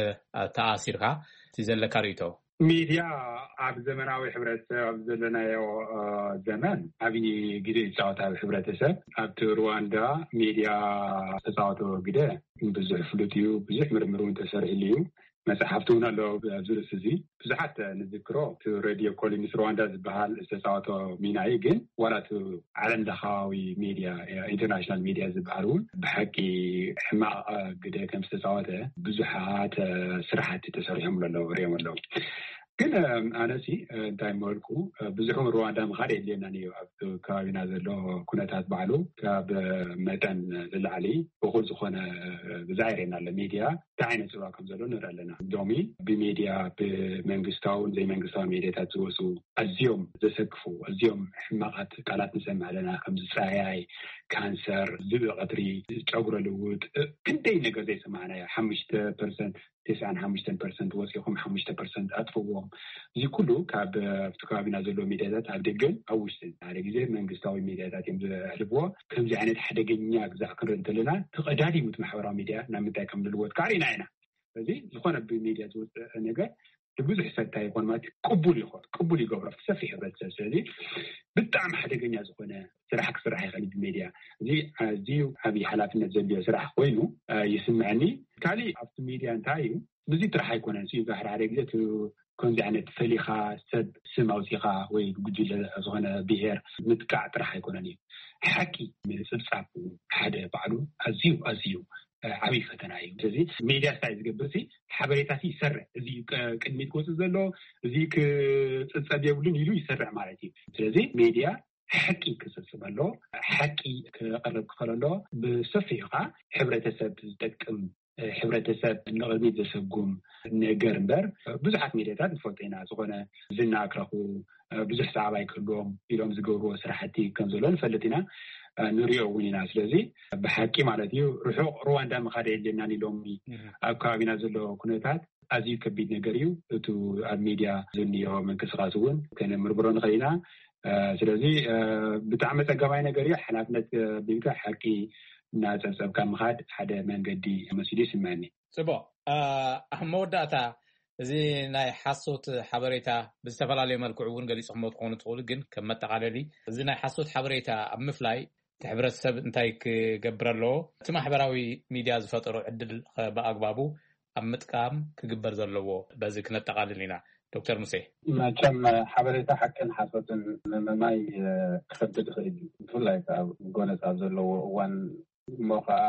ተኣሲርካ እቲ ዘለካ ርእይቶ? ሚድያ ኣብ ዘመናዊ ሕብረተሰብ ኣብ ዘለናዮ ዘመን ዓብዪ ግደ ይፃወት። ኣብ ሕብረተሰብ ኣብቲ ሩዋንዳ ሚድያ ዝተፃወቶ ግደ ብዙሕ ፍሉጥ እዩ። ብዙሕ ምርምር እውን ተሰሪሕሉ እዩ። መፅሓፍቲ እውን ኣሎ ኣብዚ ርእሲ እዚ። ብዙሓት ንዝክሮ እቲ ሬድዮ ኮሊንስ ሩዋንዳ ዝበሃል ዝተፃወቶ ሚና እዩ። ግን ዋላ እቲ ዓለም ለኻዊ ሚድያ፣ ኢንተርናሽናል ሚድያ ዝበሃል እውን ብሓቂ ሕማቕ ግደ ከም ዝተፃወተ ብዙሓት ስራሕቲ ተሰሪሖም ኣለዉ፣ ሪኦም ኣለዉ። ግን ኣነሲ እንታይ መልኩ ብዙሕ እውን ሩዋንዳ ምኻድ የድልየናን እዩ። ኣብ ከባቢና ዘሎ ኩነታት ባዕሉ ካብ መጠን ንላዕሊ እኹል ዝኾነ ብዛ ይርእየና ኣሎ። ሚድያ እንታይ ዓይነት ፅልዋ ከም ዘሎ ንርኢ ኣለና። ሎሚ ብሚድያ ብመንግስታውን ዘይመንግስታዊ ሚድያታት ዝወፁ ኣዝዮም ዘሰክፉ ኣዝዮም ሕማቓት ቃላት ንሰምዕ ኣለና። ከም ዝፀያይ፣ ካንሰር፣ ዝብኢ ቀትሪ፣ ጨጉረ ልውጥ፣ ክንደይ ነገር ዘይሰማዕናዮ። ሓሙሽተ ፐርሰንት፣ ተስዓን ሓሙሽተን ፐርሰንት ወፂኹም ሓሙሽተ ፐርሰንት ኣጥፍዎም። እዚ ኩሉ ካብ ኣብቲ ከባቢና ዘሎ ሚድያታት ኣብ ደገን ኣብ ውሽጥን ሓደ ግዜ መንግስታዊ ሚድያታት እዮም ዘሕልፍዎ። ከምዚ ዓይነት ሓደገኛ ግዛዕ ክንርኢ እንተለና ተቐዳዲሙ እቲ ማሕበራዊ ሚድያ ናብ ምንታይ ከም ልልወጥ ካሪና ኢና። ስለዚ ዝኾነ ብሚድያ ዝወፅእ ነገር ንብዙሕ ሰብ እንታይ ይኾን ማለት እዩ፣ ቅቡል ይኾን፣ ቅቡል ይገብሮ ኣብቲ ሰፊሕ ሕብረተሰብ። ስለዚ ብጣዕሚ ሓደገኛ ዝኾነ ስራሕ ክስራሕ ይኽእል እዩ ብሚድያ። እዚ ኣዝዩ ዓብዪ ሓላፍነት ዘድልዮ ስራሕ ኮይኑ ይስምዐኒ። ካሊእ ኣብቲ ሚድያ እንታይ እዩ፣ ብዙ ጥራሕ ኣይኮነን እዩ፣ ሓደ ሓደ ግዜ ከምዚ ዓይነት ፈሊኻ ሰብ ስም ኣውፂኻ ወይ ጉጅለ ዝኾነ ብሄር ምጥቃዕ ጥራሕ ኣይኮነን እዩ። ሓቂ ምፅብፃብ ሓደ ባዕሉ ኣዝዩ ኣዝዩ ዓብዪ ፈተና እዩ። ስለዚ ሚድያ እንታይ ዝገብር ሲ ሓበሬታ ሲ ይሰርዕ፣ እዚ ቅድሚት ክወፅእ ዘሎ እዚ ክፅብፀብ የብሉን ኢሉ ይሰርዕ ማለት እዩ። ስለዚ ሚድያ ሓቂ ክፅብፅብ ኣሎ፣ ሓቂ ክቐርብ ክኽእል ኣሎ። ብሰፊሑ ከዓ ሕብረተሰብ ዝጠቅም፣ ሕብረተሰብ ንቕድሚት ዘሰጉም ነገር እምበር ብዙሓት ሚድያታት ንፈልጦ ኢና። ዝኾነ ዝና ክረኽቡ ብዙሕ ሰዓባይ ክህልዎም ኢሎም ዝገብርዎ ስራሕቲ ከም ዘሎ ንፈልጥ ኢና፣ ንሪኦ እውን ኢና። ስለዚ ብሓቂ ማለት እዩ ርሑቕ ሩዋንዳ ምኻድ የድልየናን ኢሎም ኣብ ከባቢና ዘሎ ኩነታት ኣዝዩ ከቢድ ነገር እዩ። እቱ ኣብ ሚድያ ዝንዮ ምንቅስቃስ እውን ከነምርምሮ ንኽእል ኢና። ስለዚ ብጣዕሚ ጸገማይ ነገር እዩ። ሓላፍነት ቢልካ ሓቂ እናጸብጸብካ ምኻድ ሓደ መንገዲ መሲሉ ይስምዐኒ። ጽቡቕ። ኣብ መወዳእታ እዚ ናይ ሓሶት ሓበሬታ ብዝተፈላለየ መልክዑ እውን ገሊጽኹሞ ትኾኑ ትኽእሉ፣ ግን ከም መጠቓለሊ እዚ ናይ ሓሶት ሓበሬታ ኣብ ምፍላይ እቲ ሕብረተሰብ እንታይ ክገብር ኣለዎ? እቲ ማሕበራዊ ሚድያ ዝፈጠሮ ዕድል ብኣግባቡ ኣብ ምጥቃም ክግበር ዘለዎ በዚ ክነጠቓልል ኢና። ዶክተር ሙሴ። መቸም ሓበሬታ ሓቅን ሓሶትን ምምማይ ክኸብድ ይኽእል እዩ። ብፍላይ ኣብ ጎነፅ ኣብ ዘለዎ እዋን እሞ ከዓ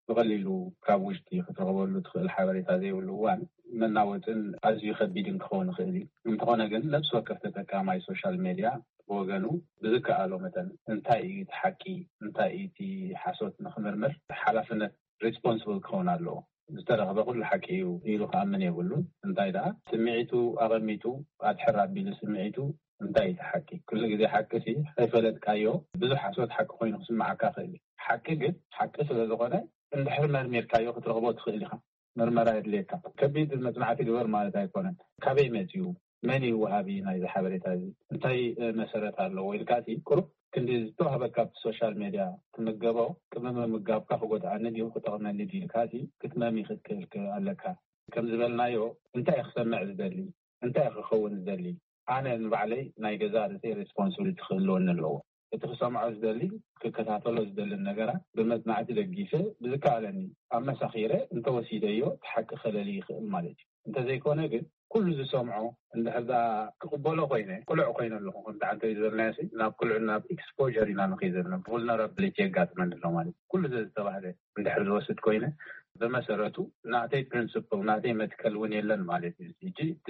ብቐሊሉ ካብ ውሽጢ ክትረኽበሉ ትኽእል ሓበሬታ ዘይብሉ እዋን መናወፅን ኣዝዩ ከቢድን ክኸውን ይኽእል እዩ። እንተኾነ ግን ነብሲ ወከፍ ተጠቃማይ ሶሻል ሜድያ ብወገኑ ብዝከኣሎ መጠን እንታይ እዩ እቲ ሓቂ፣ እንታይ እዩ እቲ ሓሶት ንክምርምር ሓላፍነት ሪስፖንስብል ክኸውን ኣለዎ። ዝተረኽበ ኩሉ ሓቂ እዩ ኢሉ ክኣምን የብሉን። እንታይ ደኣ ስምዒቱ ኣቐሚጡ ኣድሕር ኣቢሉ ስምዒቱ እንታይ እዩ እቲ ሓቂ? ኩሉ ግዜ ሓቂ ሲ ከይፈለጥካዮ ብዙሕ ሓሶት ሓቂ ኮይኑ ክስምዓካ ይኽእል እዩ። ሓቂ ግን ሓቂ ስለ ዝኾነ እንድሕር መርሚርካዮ ክትረኽቦ ትኽእል ኢኻ። ምርመራ የድልየካ። ከቢድ መጽናዕቲ ግበር ማለት ኣይኮነን። ካበይ መጺኡ? መን እዩ ወሃቢ ናይዚ ሓበሬታ እዚ? እንታይ መሰረት ኣለዎ? ኢልካ ሲ ቁሩብ ክንዲ ዝተዋህበካ ኣብቲ ሶሻል ሜድያ ትምገቦ፣ ቅድሚ ምምጋብካ ክጎድኣኒ ድዩ ክጠቕመኒ ድዩ ኢልካ ሲ ክትመሚ ክትክእል ኣለካ። ከም ዝበልናዮ እንታይ ክሰምዕ ዝደሊ እንታይ ክኸውን ዝደሊ? ኣነ ንባዕለይ ናይ ገዛ ርእሰይ ሬስፖንሲቢሊቲ ክህልወኒ ኣለዎ። እቲ ክሰምዖ ዝደሊ ክከታተሎ ዝደልን ነገራት ብመጽናዕቲ ደጊፈ ብዝከኣለኒ ኣመሳኺረ እንተወሲደዮ እቲ ሓቂ ከለሊ ይኽእል ማለት እዩ። እንተዘይኮነ ግን ኩሉ ዝሰምዖ እንድሕር ዳ ክቕበሎ ኮይነ ቅሉዕ ኮይነ ኣለኹ ከምቲ ዓንተ ዝበልናዮ ናብ ቅሉዕ ናብ ኤክስፖር ኢና ንኸይ ዘለና ቡልነራብሊቲ የጋጥመኒ ኣሎ ማለት ኩሉ ዘዝተባህለ እንድሕር ዝወስድ ኮይነ ብመሰረቱ ናተይ ፕሪንስፕል ናተይ መትከል እውን የለን ማለት እዩ። ሕጂ እቲ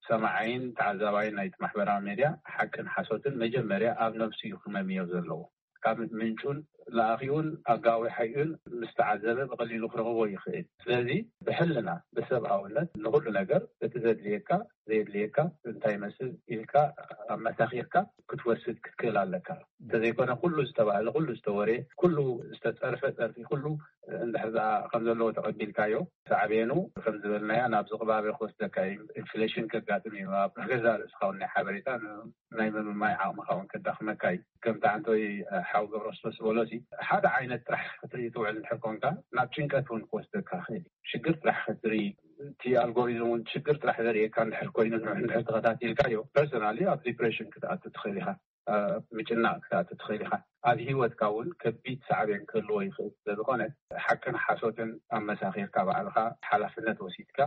ሰማዓይን ተዓዛባይን ናይቲ ማሕበራዊ ሜድያ ሓቅን ሓሶትን መጀመርያ ኣብ ነብሱ እዩ ክመምዮ ዘለዎ። ካብ ምንጩን ለኣኺኡን ኣጋዊሓዩን ምስ ተዓዘበ ብቐሊሉ ክረኽቦ ይኽእል። ስለዚ ብሕልና ብሰብኣውነት ንኹሉ ነገር እቲ ዘድልየካ ዘየድልየካ እንታይ ይመስል ኢልካ ኣመሳኺርካ ክትወስድ ክትክእል ኣለካ። እንተዘይኮነ ኩሉ ዝተባህለ ኩሉ ዝተወርየ ኩሉ ዝተፀርፈ ፀርፊ ኩሉ እንድሕር ከም ዘለዎ ተቐቢልካዮ ሳዕቤኑ ከም ዝበልናያ ናብ ዝቕባበ ክወስደካ እዩ። ኢንፍሌሽን ከጋጥም እዩ። ኣብ ገዛ ርእስኻ እውን ናይ ሓበሬታ ናይ ምምማይ ዓቕምኻ እውን ከዳኽመካ እዩ። ከምቲ ዓንተወይ ሓው ገብረክርስቶስ ዝበሎ ሓደ ዓይነት ጥራሕ ክትርኢ ትውዕል እንድሕር ኮንካ ናብ ጭንቀት እውን ክወስደካ ይኽእል እዩ። ሽግር ጥራሕ ክትርኢ እቲ ኣልጎሪዝም እውን ሽግር ጥራሕ ዘርእየካ እንድሕር ኮይኑ ንውሕ እንድሕር ተኸታቲልካዮ ፐርሰናሊ ኣብ ዲፕሬሽን ክትኣቱ ትኽእል ኢኻ። ምጭናቕ ክትኣቱ ትኽእል ኢኻ። ኣብ ሂወትካ እውን ከቢድ ሳዕቤን ክህልዎ ይኽእል ስለዝኾነ ሓቅን ሓሶትን ኣመሳኺርካ ባዕልኻ ሓላፍነት ወሲድካ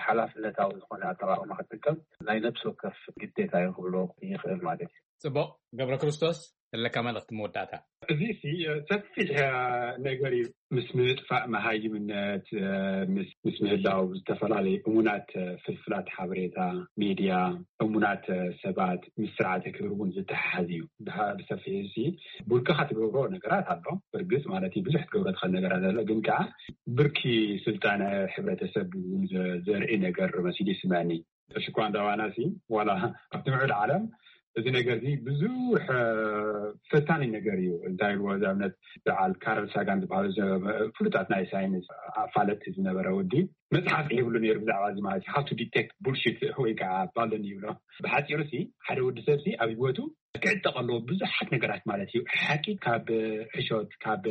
ሓላፍነታዊ ዝኾነ ኣጠቓቕማ ክትጥቀም ናይ ነብሲ ወከፍ ግዴታ እዩ ክብሎ ይኽእል ማለት እዩ። ጽቡቕ። ገብረ ክርስቶስ ዘለካ መልእኽቲ መወዳእታ። እዚ ሲ ሰፊሕ ነገር እዩ። ምስ ምጥፋእ መሃይምነት ምስ ምህላው ዝተፈላለዩ እሙናት ፍልፍላት ሓበሬታ ሜድያ እሙናት ሰባት ምስ ስርዓተ ክብሪ እውን ዝተሓሓዝ እዩ። ብሰፊሕ እዚ ብውልቅኻ ትገብሮ ነገራት ኣሎ። ብርግፅ ማለት ብዙሕ ትገብሮ ትኽእል ነገራት ኣሎ። ግን ከዓ ብርኪ ስልጣነ ሕብረተሰብ ዘርኢ ነገር መሲሉ ይስምዐኒ። ተሽኳ እንዳባና ሲ ዋላ ኣብቲ ምዕብል ዓለም እዚ ነገር እዚ ብዙሕ ፈታኒ ነገር እዩ። እንታይ ኢልዎ እዚ ኣብነት በዓል ካረል ሳጋን ዝበሃሉ ፍሉጣት ናይ ሳይንስ ኣፋለጥቲ ዝነበረ ወዲ መፅሓፍ ይብሉ ነይሩ ብዛዕባ እዚ ማለት እዩ። How to detect bullshit ወይ ከዓ ባለን ይብሎ። ብሓፂሩ ሲ ሓደ ወዲ ሰብ ሲ ኣብ ህይወቱ ክዕጠቕ ኣለዎ ብዙሓት ነገራት ማለት እዩ። ሓቂ ካብ ሕሾት ካብ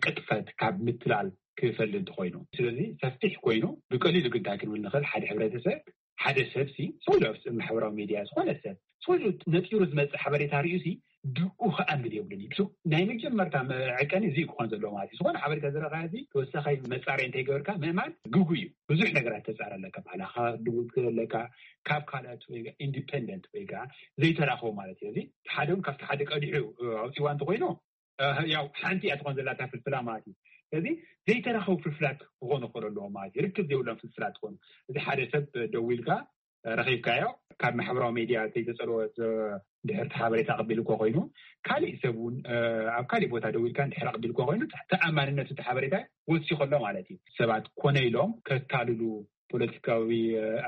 ቅጥፈት ካብ ምትላል ክፈልጥ እንተኮይኑ ስለዚ ሰፊሕ ኮይኑ ብቀሊሉ ግን እንታይ ክንብል ንኽእል ሓደ ሕብረተሰብ ሓደ ሰብ ሲ ስለ ማሕበራዊ ሚድያ ዝኾነ ሰብ ስለ ነጢሩ ዝመፅእ ሓበሬታ ርእዩ ሲ ድኡ ክኣምን የብሉን እዩ። ናይ መጀመርታ መዐቀኒ እዚ ክኾን ዘለዎ ማለት እዩ። ዝኾነ ሓበሬታ ዝረኻ ዚ ተወሳኻይ መፃርያ እንተይገበርካ ምእማን ግጉ እዩ። ብዙሕ ነገራት ተፃር ኣለካ። ባዕላኻ ድውል ኣለካ ካብ ካልኣት ወይ ኢንዲፐንደንት ወይ ከዓ ዘይተራኸቡ ማለት እዩ። እዚ ሓደ እውን ካብቲ ሓደ ቀዲሑ ኣውፅዋ እንተኮይኑ ያው ሓንቲ እያ ትኾን ዘላታ ፍልፍላ ማለት እዩ። ስለዚ ዘይተራኸቡ ፍልፍላት ክኾኑ ክኽእል ኣለዎ ማለት እዩ። ርክብ ዘይብሎም ፍልፍላት ትኾኑ እዚ ሓደ ሰብ ደዊልካ ረኺብካዮ ካብ ማሕበራዊ ሜድያ ዘይተፀልወ ድሕርቲ ሓበሬታ ቀቢልኮ ኮይኑ ካሊእ ሰብ እውን ኣብ ካሊእ ቦታ ደዊልካ ድሕር ኣቀቢልኮ ኮይኑ ተኣማንነቱ እቲ ሓበሬታ ወሲ ከሎ ማለት እዩ። ሰባት ኮነ ኢሎም ከታልሉ ፖለቲካዊ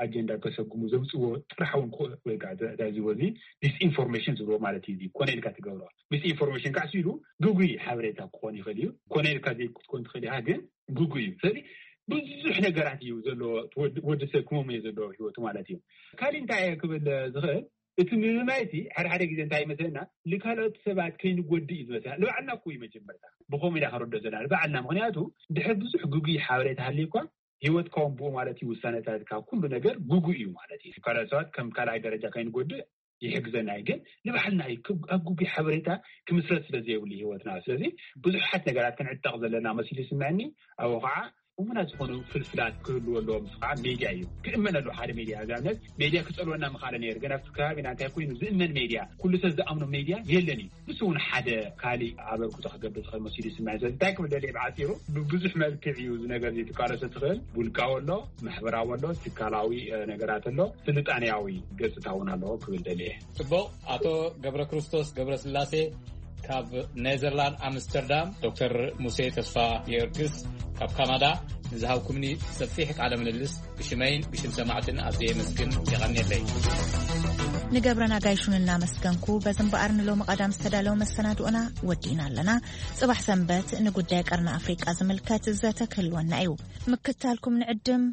ኣጀንዳ ከሰጉሙ ዘውፅዎ ጥራሕ እውን ወይከዓ እዚ ዲስኢንፎርሜሽን ዝብሎ ማለት እዩ። ኮነ ኢልካ ትገብሮ ዲስኢንፎርሜሽን ካዕሲ ኢሉ ግጉይ ሓበሬታ ክኾን ይኽእል እዩ። ኮነ ኢልካ ዘይክትኮን ትኽእል ኢኻ ግን ግጉይ እዩ። ስለዚ ብዙሕ ነገራት እዩ ዘለዎ ወዲ ሰብ ክመሙ እየ ዘለዎ ህይወቱ ማለት እዩ። ካሊእ እንታይ እየ ክብል ዝኽእል እቲ ምምማይ እቲ ሓደ ሓደ ግዜ እንታይ ይመስለና ንካልኦት ሰባት ከይንጎድእ እዩ ዝመስለና። ንባዕልና እኮ እዩ መጀመርታ ብኸምኡ ኢና ክንርዶ ዘለና ንባዕልና። ምክንያቱ ድሕር ብዙሕ ግጉይ ሓበሬታ ሃልዩ እኳ ህይወትካ እውን ብኡ ማለት እዩ ውሳነታትካ ኩሉ ነገር ግጉ እዩ ማለት እዩ። ካልኦት ሰባት ከም ካልኣይ ደረጃ ከይንጎድእ ይሕግዘና እዩ። ግን ንባዕልና እዩ ኣብ ግጉይ ሓበሬታ ክምስረት ስለ ዘይብሉ ህይወትና። ስለዚ ብዙሓት ነገራት ክንዕጠቕ ዘለና መሲሉ ይስምዐኒ። ኣብኡ ከዓ እሙናት ዝኾኑ ፍልፍላት ክህልዎ ኣለዎም። ምስ ከዓ ሜድያ እዩ ክእመን ኣለዎ። ሓደ ሜድያ ኣብነት ሜድያ ክፀልወና ምኻለ ነይሩ። ግን ኣብቲ ከባቢና እንታይ ኮይኑ ዝእመን ሜድያ ኩሉ ሰብ ዝኣምኖ ሜድያ የለን እዩ። ንሱ እውን ሓደ ካሊእ ኣበርክቶ ክገብር ዝኽእል መሲሉ ይስምዐ። ስለዚ እንታይ ክብል ደልየ ብዓፂሩ ብብዙሕ መልክዕ እዩ እዚ ነገር እዚ ትቃለሶ ትኽእል። ውልቃዊ ኣሎ፣ ማሕበራዊ ኣሎ፣ ትካላዊ ነገራት ኣሎ፣ ስልጣኔያዊ ገፅታ እውን ኣለዎ ክብል ደልየ። ፅቡቕ። ኣቶ ገብረ ክርስቶስ ገብረ ስላሴ ካብ ኔዘርላንድ ኣምስተርዳም፣ ዶክተር ሙሴ ተስፋ ጊዮርጊስ ካብ ካናዳ ንዝሃብኩምኒ ሰፊሕ ቃለ ምልልስ ብሽመይን ብሽም ሰማዕትን ኣዝየ የመስግን። የቐንየለይ። ንገብረና ጋይሹን እናመስገንኩ፣ በዚ እምበኣር ንሎሚ ቀዳም ዝተዳለወ መሰናድኦና ወዲእና ኣለና። ጽባሕ ሰንበት ንጉዳይ ቀርኒ ኣፍሪቃ ዝምልከት ዘተ ክህልወና እዩ። ምክታልኩም ንዕድም።